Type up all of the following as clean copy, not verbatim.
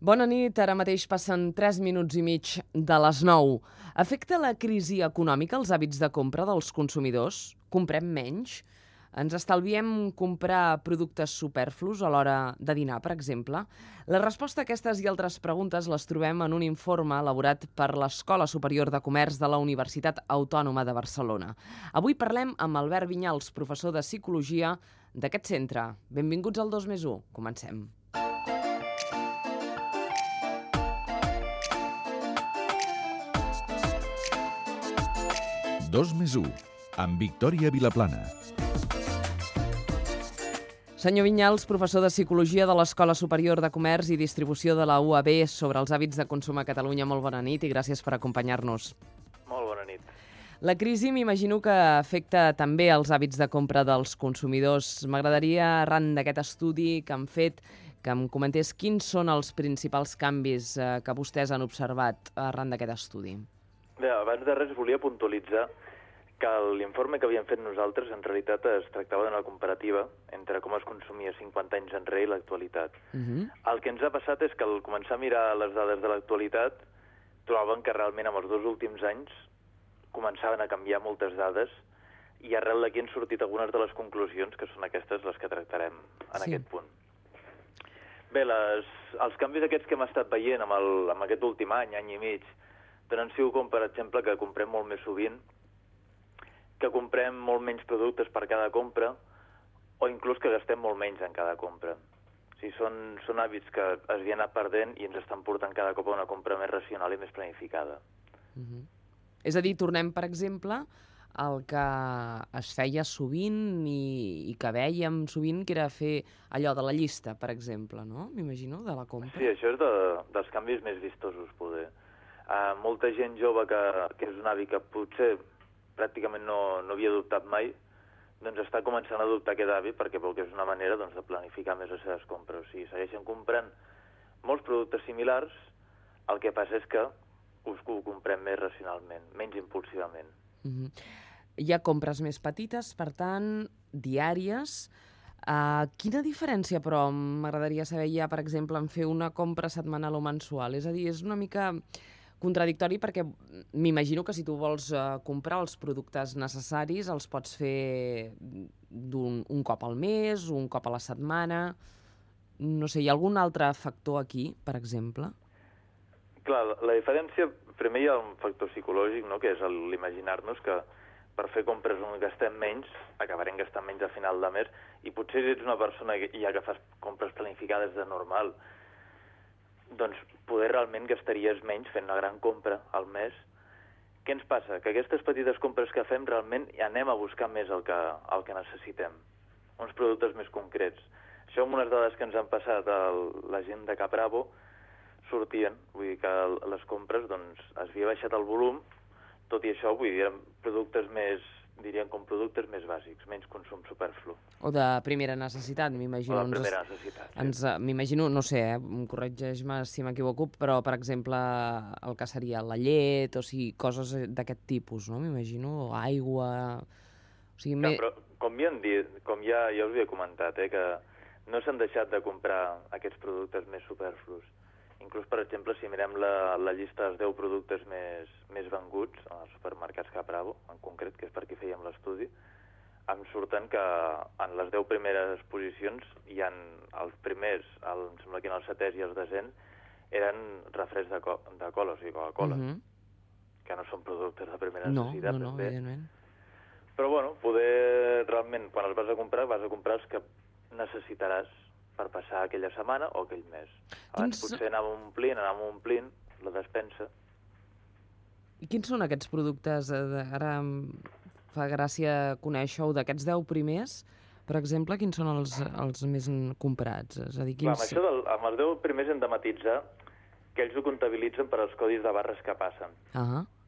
Bona nit, ara mateix passen 3 minuts i mig de les 9. Afecta la crisi econòmica els hàbits de compra dels consumidors? Comprem menys? Ens estalviem comprar productes superflus a l'hora de dinar, per exemple? La resposta a aquestes i altres preguntes les trobem en un informe elaborat per l'Escola Superior de Comerç de la Universitat Autònoma de Barcelona. Avui parlem amb Albert Vinyals, professor de Psicologia d'aquest centre. Benvinguts al 2+1. Comencem. Dos més u, amb Victòria Vilaplana. Senyor Vinyals, professor de Psicologia de l'Escola Superior de Comerç i Distribució de la UAB sobre els hàbits de consum a Catalunya. Molt bona nit i gràcies per acompanyar-nos. Molt bona nit. La crisi m'imagino que afecta també els hàbits de compra dels consumidors. M'agradaria, arran d'aquest estudi que han fet, que em comentés quins són els principals canvis que vostès han observat arran d'aquest estudi. Bé, abans de res volia puntualitzar que l'informe que havíem fet nosaltres en realitat es tractava d'una comparativa entre com es consumia 50 anys enrere i l'actualitat. El que ens ha passat és que al començar a mirar les dades de l'actualitat trobàvem que realment en els 2 últims anys començaven a canviar moltes dades i arrel d'aquí han sortit algunes de les conclusions que són aquestes les que tractarem en aquest punt. Bé, els canvis aquests que hem estat veient amb aquest últim any i mig, tant han sigut com, per exemple, que comprem molt més sovint, que comprem molt menys productes per cada compra, o inclús que gastem molt menys en cada compra. O sigui, són hàbits que es havien anat perdent i ens estan portant cada cop a una compra més racional i més planificada. És a dir, tornem, per exemple, al que es feia sovint i que vèiem sovint, que era fer allò de la llista, per exemple, no? M'imagino, de la compra. Sí, això és dels canvis més vistosos, poder. Molta gent jove que és un hàbit que potser pràcticament no havia adoptat mai, doncs està començant a adoptar aquest hàbit perquè veu que és una manera de planificar més les seves compres. O sigui, segueixen comprant molts productes similars, el que passa és que ho comprem més racionalment, menys impulsivament. Hi ha compres més petites, per tant, diàries. Quina diferència, però, m'agradaria saber ja, per exemple, en fer una compra setmanal o mensual? És a dir, és una mica contradictori perquè m'imagino que si tu vols comprar els productes necessaris els pots fer un cop al mes, un cop a la setmana. No sé, hi ha algun altre factor aquí, per exemple? Clar, la diferència, primer hi ha un factor psicològic, no?, que és l'imaginar-nos que per fer compres on gastem menys, acabarem gastant menys a final de mes, i potser si ets una persona ja que fas compres planificades de normal, doncs poder realment gastaries menys fent una gran compra al mes. Què ens passa? Que aquestes petites compres que fem realment anem a buscar més el que necessitem, uns productes més concrets. Això amb unes dades que ens han passat a la gent de Capravo sortien, vull dir que les compres doncs es havia baixat el volum, tot i això, vull dir, eren productes més, diríem com productes més bàsics, menys consum superflu. O de primera necessitat, m'imagino. O de primera necessitat, sí. M'imagino, no sé, corregeix-me si m'equivoco, però, per exemple, el que seria la llet, o sigui, coses d'aquest tipus, no? M'imagino, aigua... O sigui, Però, com ja us havia comentat, que no s'han deixat de comprar aquests productes més superflus. Inclús, per exemple, si mirem la llista dels 10 productes més venguts als supermercats Capravo, en concret, que és per qui fèiem l'estudi, em surten que en les 10 primeres posicions hi ha els primers, em sembla que en el 7è i el 10è, eren refresc de cola, o sigui, Coca-Cola, que no són productes de primera necessitat. No, evidentment. Però, bueno, poder realment, quan els vas a comprar els que necessitaràs per passar aquella setmana o aquell mes. Abans potser anàvem omplint la despensa. I quins són aquests productes? Ara em fa gràcia conèixer-ho, d'aquests 10 primers, per exemple, quins són els més comprats? És a dir, quins... Clar, amb els 10 primers hem de matitzar que ells ho comptabilitzen per als codis de barres que passen.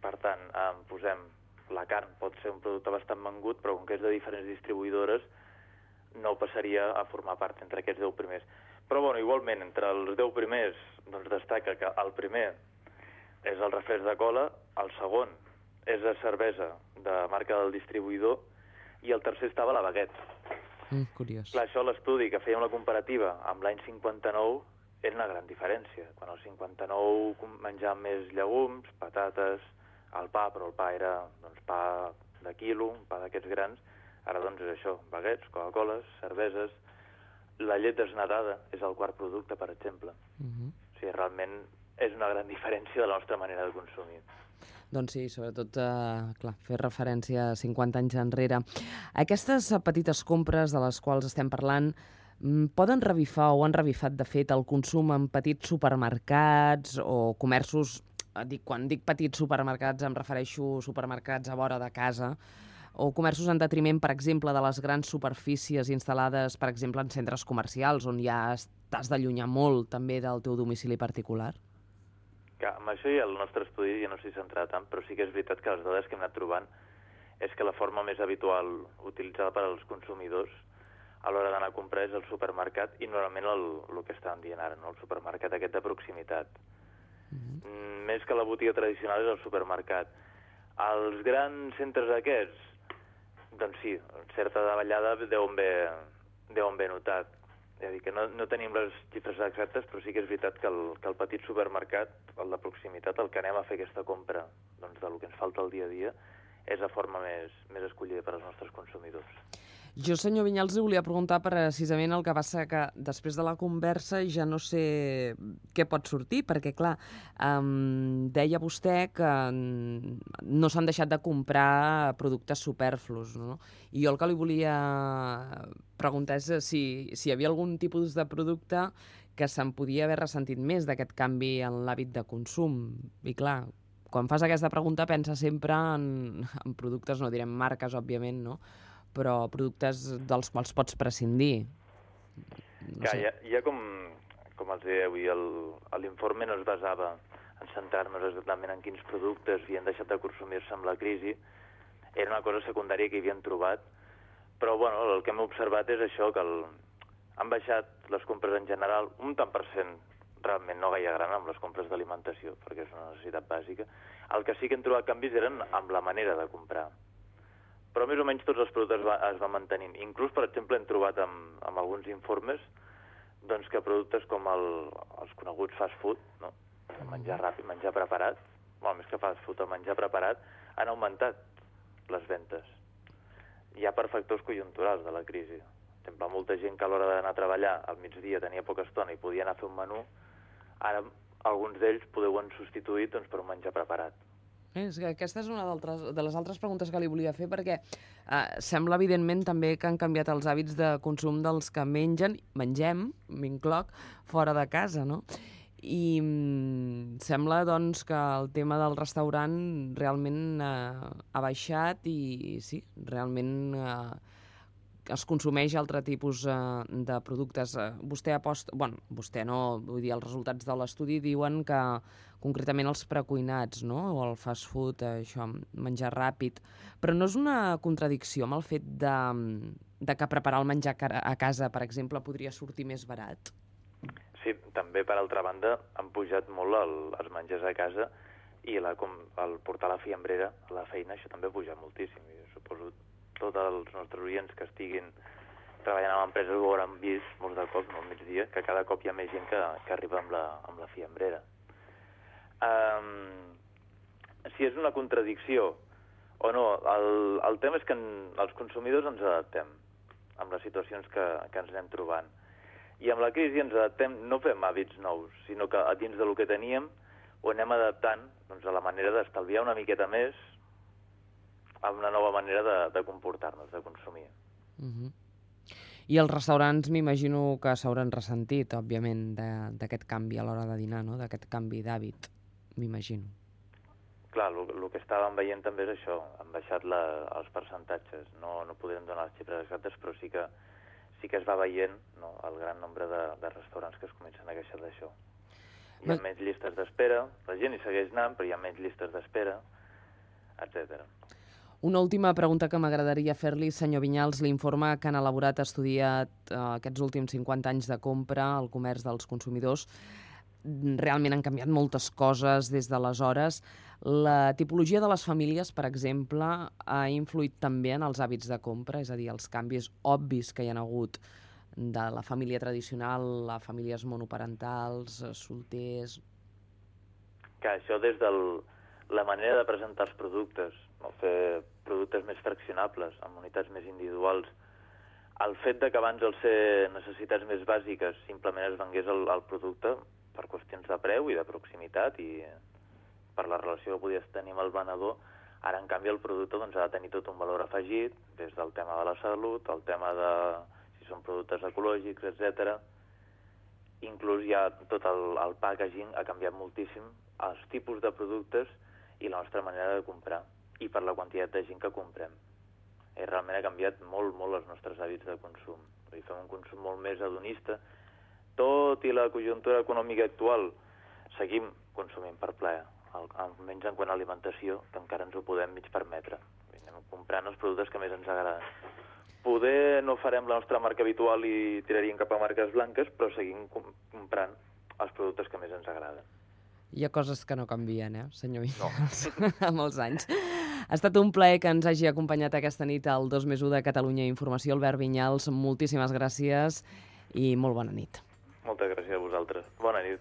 Per tant, posem la carn, pot ser un producte bastant vengut, però com que és de diferents distribuïdores, no passaria a formar part entre aquests 10 primers. Però, bueno, igualment, entre els 10 primers, doncs destaca que el primer és el refresc de cola, el segon és la cervesa de marca del distribuïdor i el tercer estava la baguette. Curiós. Clar, això l'estudi que fèiem la comparativa amb l'any 59 era una gran diferència. Quan al 59 menjàvem més llegums, patates, el pa, però el pa era pa de quilo, pa d'aquests grans. Ara doncs és això, baguets, Coca-Coles, cerveses. La llet desnatada és el quart producte, per exemple. O sigui, realment és una gran diferència de la nostra manera de consumir. Doncs sí, sobretot, fer referència a 50 anys enrere. Aquestes petites compres de les quals estem parlant poden revifar o han revifat, de fet, el consum en petits supermercats o comerços. Quan dic petits supermercats em refereixo a supermercats a vora de casa o comerços en detriment, per exemple, de les grans superfícies instal·lades, per exemple, en centres comercials, on ja t'has d'allunyar molt també del teu domicili particular? Que amb això ja el nostre estudi ja no s'hi centrarà tant, però sí que és veritat que les dades que hem anat trobant és que la forma més habitual utilitzada per als consumidors a l'hora d'anar a comprar és el supermercat i normalment el que estàvem dient ara, no? El supermercat aquest de proximitat. Més que la botiga tradicional és el supermercat. Els grans centres aquests, doncs sí, certa davallada deuen haver notat. És a dir, que no tenim les xifres exactes, però sí que és veritat que el petit supermercat, el de proximitat, el que anem a fer aquesta compra doncs, del que ens falta el dia a dia, és la forma més escollida per als nostres consumidors. Jo, senyor Vinyals, li volia preguntar precisament el que passa que després de la conversa ja no sé què pot sortir, perquè, clar, deia vostè que no s'han deixat de comprar productes superflus, no? I jo el que li volia preguntar és si hi havia algun tipus de producte que se'n podia haver ressentit més d'aquest canvi en l'hàbit de consum. I, clar, quan fas aquesta pregunta pensa sempre en productes, no direm marques, òbviament, no?, però productes dels quals pots prescindir. No sé. Ja com els deia avui, l'informe no es basava en centrar-nos exactament en quins productes havien deixat de consumir-se amb la crisi. Era una cosa secundària que havien trobat, però bueno, el que hem observat és això, que han baixat les compres en general un tant per cent, realment no gaire gran, amb les compres d'alimentació, perquè és una necessitat bàsica. El que sí que hem trobat canvis eren amb la manera de comprar. Però més o menys tots els productes es van mantenint. Inclús, per exemple, hem trobat amb alguns informes doncs, que productes com els coneguts fast food, no? El menjar ràpid, menjar preparat, més que fast food, el menjar preparat, han augmentat les ventes. Ja per factors conjunturals de la crisi. Per exemple, molta gent que a l'hora d'anar a treballar al migdia tenia poca estona i podia anar a fer un menú, ara alguns d'ells ho han substituït doncs, per un menjar preparat. És que aquesta és una de les altres preguntes que li volia fer, perquè sembla, evidentment, també que han canviat els hàbits de consum dels que mengem, m'incloc, fora de casa, no? I sembla, doncs, que el tema del restaurant realment ha baixat i, sí, realment es consumeix altre tipus de productes. Vostè vostè no, vull dir, els resultats de l'estudi diuen que concretament els precuinats, no?, o el fast food, això, menjar ràpid, però no és una contradicció amb el fet de que preparar el menjar a casa, per exemple, podria sortir més barat? Sí, també, per altra banda, han pujat molt els menjars a casa i el portar la fiambrera a la feina, això també ha pujat moltíssim. Jo suposo tots els nostres oients que estiguin treballant en empreses ho hauran vist molts de cops, no, al migdia, que cada cop hi ha més gent que arriba amb la fiambrera. Si és una contradicció o no, el tema és que els consumidors ens adaptem amb les situacions que ens anem trobant. I amb la crisi ens adaptem, no fem hàbits nous, sinó que dins del que teníem ho anem adaptant doncs, a la manera d'estalviar una miqueta més a una nova manera de comportar-nos, de consumir. I els restaurants m'imagino que s'hauran ressentit, òbviament, d'aquest canvi a l'hora de dinar, no?, d'aquest canvi d'hàbit, m'imagino. Clar, el que estàvem veient també és això, han baixat els percentatges. No podrem donar les xifres exactes, però sí que es va veient, no?, el gran nombre de restaurants que es comencen a queixar d'això. Hi ha menys llistes d'espera, la gent hi segueix anant, però hi ha menys llistes d'espera, etc. Una última pregunta que m'agradaria fer-li, senyor Vinyals. L'informe que han elaborat ha estudiat aquests últims 50 anys de compra, el comerç dels consumidors. Realment han canviat moltes coses des d'aleshores. La tipologia de les famílies, per exemple, ha influït també en els hàbits de compra, és a dir, els canvis obvis que hi ha hagut de la família tradicional a famílies monoparentals, solters... Que això des de la manera de presentar els productes, no? Fer productes més fraccionables, amb unitats més individuals. El fet de que abans, al ser necessitats més bàsiques, simplement es vengués el producte per qüestions de preu i de proximitat i per la relació que podies tenir amb el venedor, ara, en canvi, el producte doncs, ha de tenir tot un valor afegit, des del tema de la salut, el tema de si són productes ecològics, etc. Inclús ja tot el packaging ha canviat moltíssim, els tipus de productes i la nostra manera de comprar, i per la quantitat de gent que comprem. Realment ha canviat molt, molt els nostres hàbits de consum. Fem un consum molt més hedonista. Tot i la conjuntura econòmica actual, seguim consumint per plaer, almenys en quant a alimentació, que encara ens ho podem mig permetre. Anem comprant els productes que més ens agraden. Poder no farem la nostra marca habitual i tiraríem cap a marques blanques, però seguim comprant els productes que més ens agraden. Hi ha coses que no canvien, senyor Vinyals, No. a molts anys. Ha estat un plaer que ens hagi acompanyat aquesta nit al 2+1 de Catalunya Informació. Albert Vinyals, moltíssimes gràcies i molt bona nit. Moltes gràcies a vosaltres. Bona nit.